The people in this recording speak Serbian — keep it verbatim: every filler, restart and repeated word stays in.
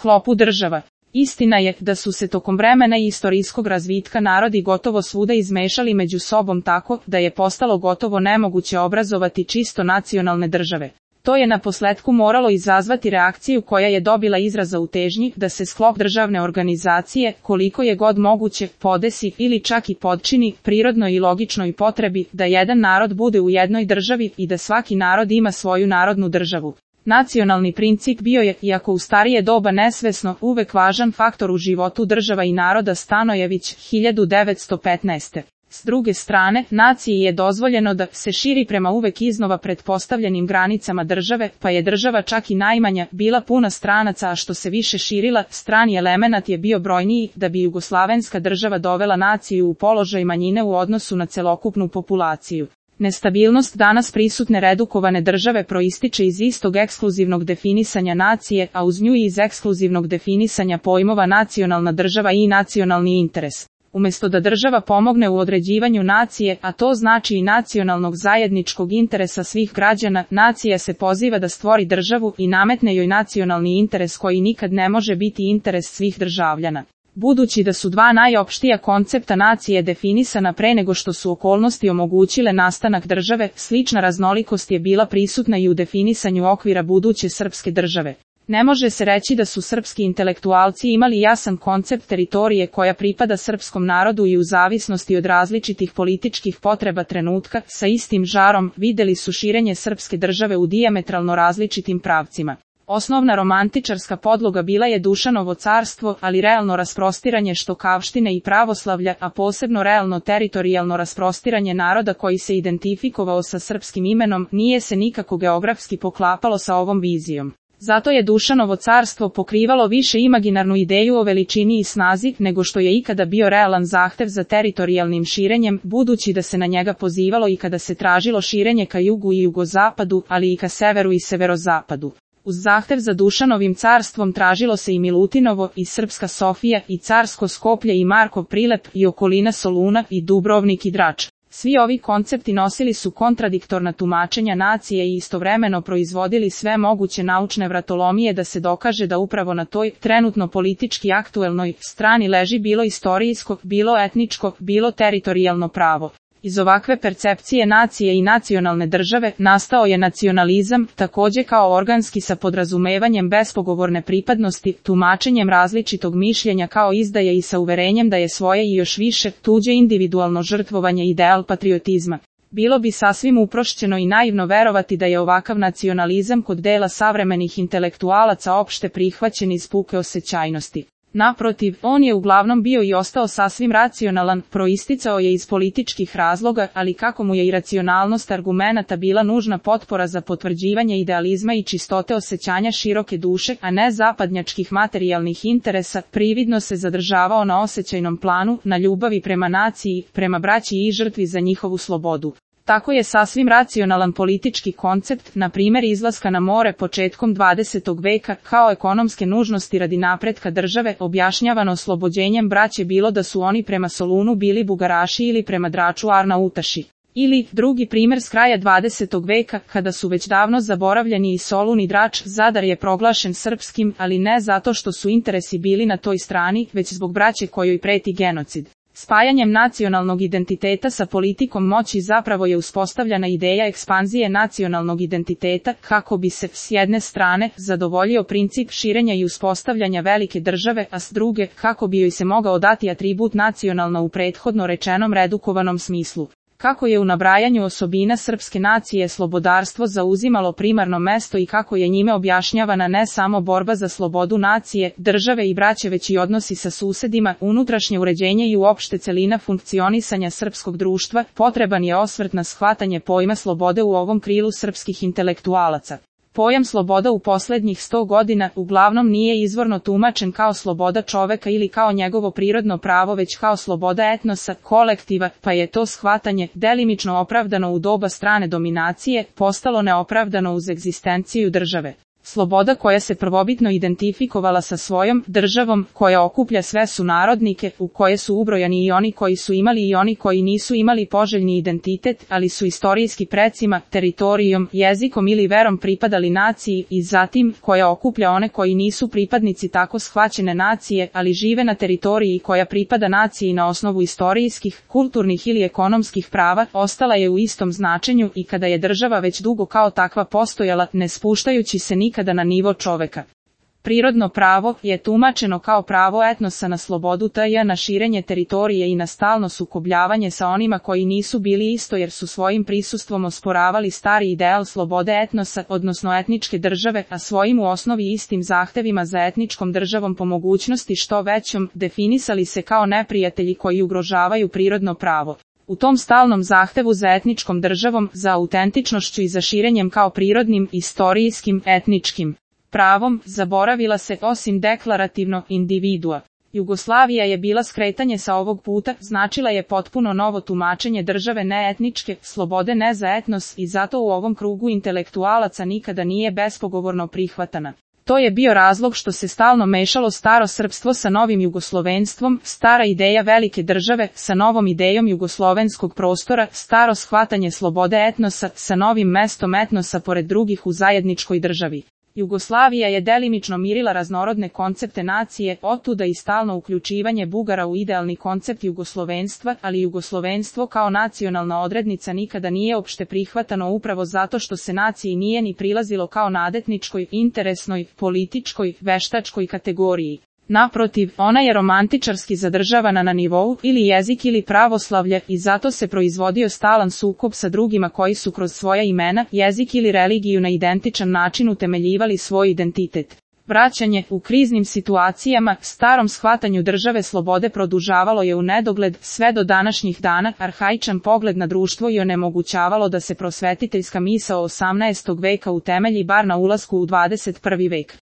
sklopu država. Istina je da su se tokom vremena i istorijskog razvitka narodi gotovo svuda izmešali među sobom tako da je postalo gotovo nemoguće obrazovati čisto nacionalne države. To je naposletku moralo izazvati reakciju koja je dobila izraza u težnji da se sklop državne organizacije, koliko je god moguće, podesi ili čak i podčini prirodnoj i logičnoj potrebi da jedan narod bude u jednoj državi i da svaki narod ima svoju narodnu državu. Nacionalni princip bio je, iako u starije doba nesvesno, uvek važan faktor u životu država i naroda Stanojević, hiljadu devetsto petnaeste. S druge strane, naciji je dozvoljeno da se širi prema uvek iznova pretpostavljenim granicama države, pa je država čak i najmanja bila puna stranaca, a što se više širila, strani elemenat je bio brojniji, da bi jugoslavenska država dovela naciju u položaj manjine u odnosu na celokupnu populaciju. Nestabilnost danas prisutne redukovane države proističe iz istog ekskluzivnog definisanja nacije, a uz nju i iz ekskluzivnog definisanja pojmova nacionalna država i nacionalni interes. Umjesto da država pomogne u određivanju nacije, a to znači i nacionalnog zajedničkog interesa svih građana, nacija se poziva da stvori državu i nametne joj nacionalni interes koji nikad ne može biti interes svih državljana. Budući da su dva najopštija koncepta nacije definisana pre nego što su okolnosti omogućile nastanak države, slična raznolikost je bila prisutna i u definisanju okvira buduće srpske države. Ne može se reći da su srpski intelektualci imali jasan koncept teritorije koja pripada srpskom narodu i u zavisnosti od različitih političkih potreba trenutka, sa istim žarom, videli su širenje srpske države u dijametralno različitim pravcima. Osnovna romantičarska podloga bila je Dušanovo carstvo, ali realno rasprostiranje štokavštine i pravoslavlja, a posebno realno teritorijalno rasprostiranje naroda koji se identifikovao sa srpskim imenom, nije se nikako geografski poklapalo sa ovom vizijom. Zato je Dušanovo carstvo pokrivalo više imaginarnu ideju o veličini i snazi nego što je ikada bio realan zahtev za teritorijalnim širenjem, budući da se na njega pozivalo i kada se tražilo širenje ka jugu i jugozapadu, ali i ka severu i severozapadu. Uz zahtev za Dušanovim carstvom tražilo se i Milutinovo, i Srpska Sofija, i Carsko Skoplje, i Markov Prilep, i okolina Soluna, i Dubrovnik i Drač. Svi ovi koncepti nosili su kontradiktorna tumačenja nacije i istovremeno proizvodili sve moguće naučne vratolomije da se dokaže da upravo na toj, trenutno politički aktuelnoj, strani leži bilo istorijsko, bilo etničko, bilo teritorijalno pravo. Iz ovakve percepcije nacije i nacionalne države nastao je nacionalizam, takođe kao organski sa podrazumevanjem bespogovorne pripadnosti, tumačenjem različitog mišljenja kao izdaje i sa uverenjem da je svoje i još više tuđe individualno žrtvovanje ideal patriotizma. Bilo bi sasvim uprošćeno i naivno verovati da je ovakav nacionalizam kod dela savremenih intelektualaca opšte prihvaćen iz puke osećajnosti. Naprotiv, on je uglavnom bio i ostao sasvim racionalan, proisticao je iz političkih razloga, ali kako mu je iracionalnost argumenata bila nužna potpora za potvrđivanje idealizma i čistote osećanja široke duše, a ne zapadnjačkih materijalnih interesa, prividno se zadržavao na osećajnom planu, na ljubavi prema naciji, prema braći i žrtvi za njihovu slobodu. Tako je sasvim racionalan politički koncept, na primjer izlaska na more početkom dvadesetog veka, kao ekonomske nužnosti radi napretka države, objašnjavano oslobođenjem braće bilo da su oni prema Solunu bili Bugaraši ili prema Draču Arnautaši. Ili, drugi primjer s kraja dvadesetog veka, kada su već davno zaboravljeni i Solun i Drač, Zadar je proglašen srpskim, ali ne zato što su interesi bili na toj strani, već zbog braće kojoj preti genocid. Spajanjem nacionalnog identiteta sa politikom moći zapravo je uspostavljena ideja ekspanzije nacionalnog identiteta, kako bi se, s jedne strane, zadovoljio princip širenja i uspostavljanja velike države, a s druge, kako bi joj se mogao dati atribut nacionalno u prethodno rečenom redukovanom smislu. Kako je u nabrajanju osobina srpske nacije slobodarstvo zauzimalo primarno mesto i kako je njime objašnjavana ne samo borba za slobodu nacije, države i braće već i odnosi sa susedima, unutrašnje uređenje i uopšte celina funkcionisanja srpskog društva, potreban je osvrt na shvatanje pojma slobode u ovom krilu srpskih intelektualaca. Pojam sloboda u posljednjih sto godina uglavnom nije izvorno tumačen kao sloboda čoveka ili kao njegovo prirodno pravo već kao sloboda etnosa, kolektiva, pa je to shvatanje, delimično opravdano u doba strane dominacije, postalo neopravdano uz egzistenciju države. Sloboda koja se prvobitno identifikovala sa svojom državom, koja okuplja sve sunarodnike, u koje su ubrojani i oni koji su imali i oni koji nisu imali poželjni identitet, ali su istorijski precima, teritorijom, jezikom ili verom pripadali naciji, i zatim, koja okuplja one koji nisu pripadnici tako shvaćene nacije, ali žive na teritoriji koja pripada naciji na osnovu istorijskih, kulturnih ili ekonomskih prava, ostala je u istom značenju i kada je država već dugo kao takva postojala, ne spuštajući se nikada kada na nivo čoveka. Prirodno pravo je tumačeno kao pravo etnosa na slobodu tj. na širenje teritorije i na stalno sukobljavanje sa onima koji nisu bili isto jer su svojim prisustvom osporavali stari ideal slobode etnosa, odnosno etničke države, a svojim u osnovi istim zahtevima za etničkom državom po mogućnosti što većom, definisali se kao neprijatelji koji ugrožavaju prirodno pravo. U tom stalnom zahtevu za etničkom državom, za autentičnošću i za širenjem kao prirodnim, istorijskim, etničkim pravom, zaboravila se osim deklarativno individua. Jugoslavija je bila skretanje sa ovog puta, značila je potpuno novo tumačenje države neetničke, slobode ne za etnos i zato u ovom krugu intelektualaca nikada nije bespogovorno prihvatana. To je bio razlog što se stalno mešalo staro srpstvo sa novim jugoslovenstvom, stara ideja velike države sa novom idejom jugoslovenskog prostora, staro shvatanje slobode etnosa sa novim mestom etnosa pored drugih u zajedničkoj državi. Jugoslavija je delimično mirila raznorodne koncepte nacije, otuda i stalno uključivanje Bugara u idealni koncept jugoslovenstva, ali jugoslovenstvo kao nacionalna odrednica nikada nije opšte prihvatano upravo zato što se naciji nije ni prilazilo kao nadetničkoj, interesnoj, političkoj, veštačkoj kategoriji. Naprotiv, ona je romantičarski zadržavana na nivou ili jezik ili pravoslavlje i zato se proizvodio stalan sukob sa drugima koji su kroz svoja imena, jezik ili religiju na identičan način utemeljivali svoj identitet. Vraćanje u kriznim situacijama starom shvatanju države slobode produžavalo je u nedogled sve do današnjih dana, arhaičan pogled na društvo i onemogućavalo da se prosvetiteljska misao osamnaestog veka utemelji bar na ulasku u dvadeset prvi vek.